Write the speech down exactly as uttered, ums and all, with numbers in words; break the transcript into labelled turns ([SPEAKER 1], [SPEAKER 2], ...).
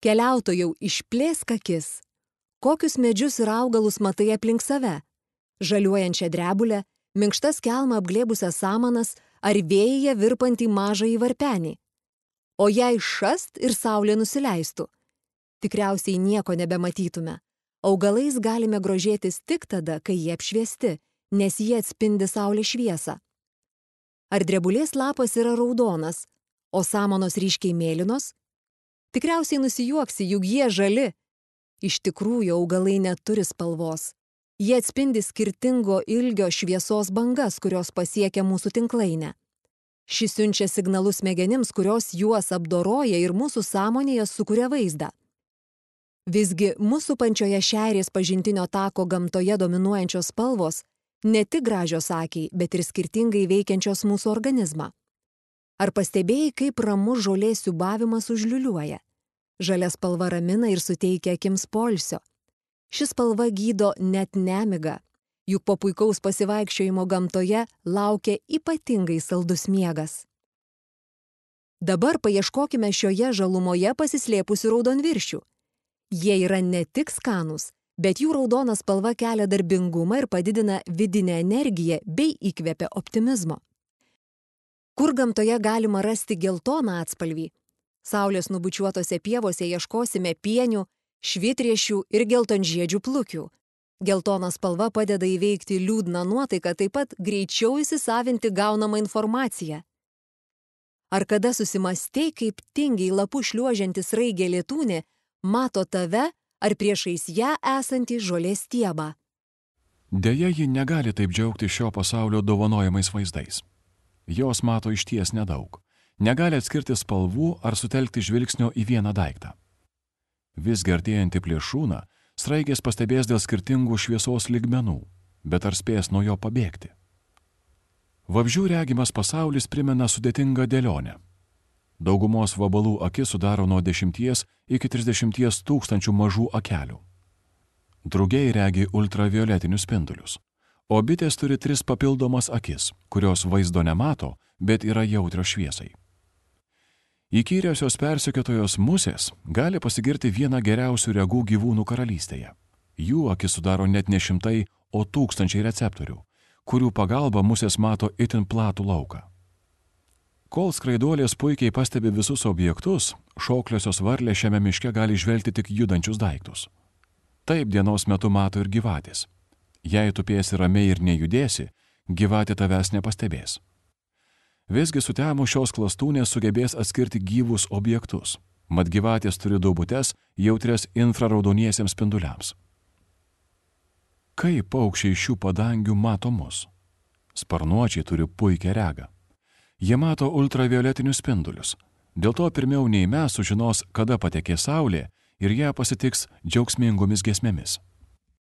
[SPEAKER 1] Keliautojau, išplėsk akis. Kokius medžius ir augalus matai aplink save? Žaliuojančią drebulę, minkštas kelmą apglėbusias samanas ar vėjyje virpantį mažąjį varpenį. O jei šast ir saulė nusileistų, tikriausiai nieko nebematytume. Augalais galime grožėtis tik tada, kai jie apšviesti, nes jie atspindi saulės šviesą. Ar drebulės lapas yra raudonas, o samanos ryškiai mėlynos? Tikriausiai nusijuoksi, juk jie žali. Iš tikrųjų, augalai neturi spalvos. Jie atspindi skirtingo ilgio šviesos bangas, kurios pasiekia mūsų tinklainę. Šis siunčia signalus smegenims, kurios juos apdoroja ir mūsų sąmonėje sukuria vaizdą. Visgi, mūsų pančioje šeirės pažintinio tako gamtoje dominuojančios spalvos ne tik gražios akiai, bet ir skirtingai veikiančios mūsų organizmą. Ar pastebėjai, kaip ramus žolės siūbavimas užliuliuoja? Žalia spalva ramina ir suteikia akims poilsio. Ši spalva gydo net nemigą, juk po puikaus pasivaikščiojimo gamtoje laukia ypatingai saldus miegas. Dabar paieškokime šioje žalumoje pasislėpusių raudonviršių. Jie yra ne tik skanūs, bet jų raudona spalva kelia darbingumą ir padidina vidinę energiją bei įkvepia optimizmo. Kur gamtoje galima rasti geltoną atspalvį? Saulės nubučiuotose pievose ieškosime pienių, švitriešių ir geltonžiedžių plukių. Geltona spalva padeda įveikti liūdną nuotaiką, taip pat greičiau įsisavinti gaunamą informaciją. Ar kada susimastei, kaip tingiai lapų šliuožiantis raigė lietūnė mato tave ar priešais ją esantį žolės stiebą?
[SPEAKER 2] Deja, ji negali taip džiaugti šio pasaulio dovanojamais vaizdais. Jos mato išties nedaug. Negali atskirti spalvų ar sutelkti žvilgsnio į vieną daiktą. Vis artėjantį plėšrūną sraigės pastebės dėl skirtingų šviesos lygmenų, bet ar spės nuo jo pabėgti? Vabzdžių regimas pasaulis primena sudėtingą dėlionę. Daugumos vabalų akis sudaro nuo dešimties iki trisdešimties tūkstančių mažų akelių. Drugiai regi ultravioletinius spindulius, o bitės turi tris papildomas akis, kurios vaizdo nemato, bet yra jautrios šviesai. Įkyriosios persekiotojos musės gali pasigirti vieną geriausių regų gyvūnų karalystėje. Jų akis sudaro net ne šimtai, o tūkstančiai receptorių, kurių pagalba musės mato itin platų lauką. Kol skraiduolės puikiai pastebi visus objektus, šokliosios varlės šiame miške gali žvelgti tik judančius daiktus. Taip dienos metu mato ir gyvatės. Jei tupėsi ramiai ir nejudėsi, gyvatė tavęs nepastebės. Visgi sutemus šios klastūnės sugebės atskirti gyvus objektus, mat gyvatės turi duobutes jautrias infraraudoniesiems spinduliams. Kaip paukščiai šių padangių mato mus? Sparnuočiai turi puikią regą. Jie mato ultravioletinius spindulius, dėl to pirmiau nei mes sužinos, kada patekė saulė ir ją pasitiks džiaugsmingomis giesmėmis.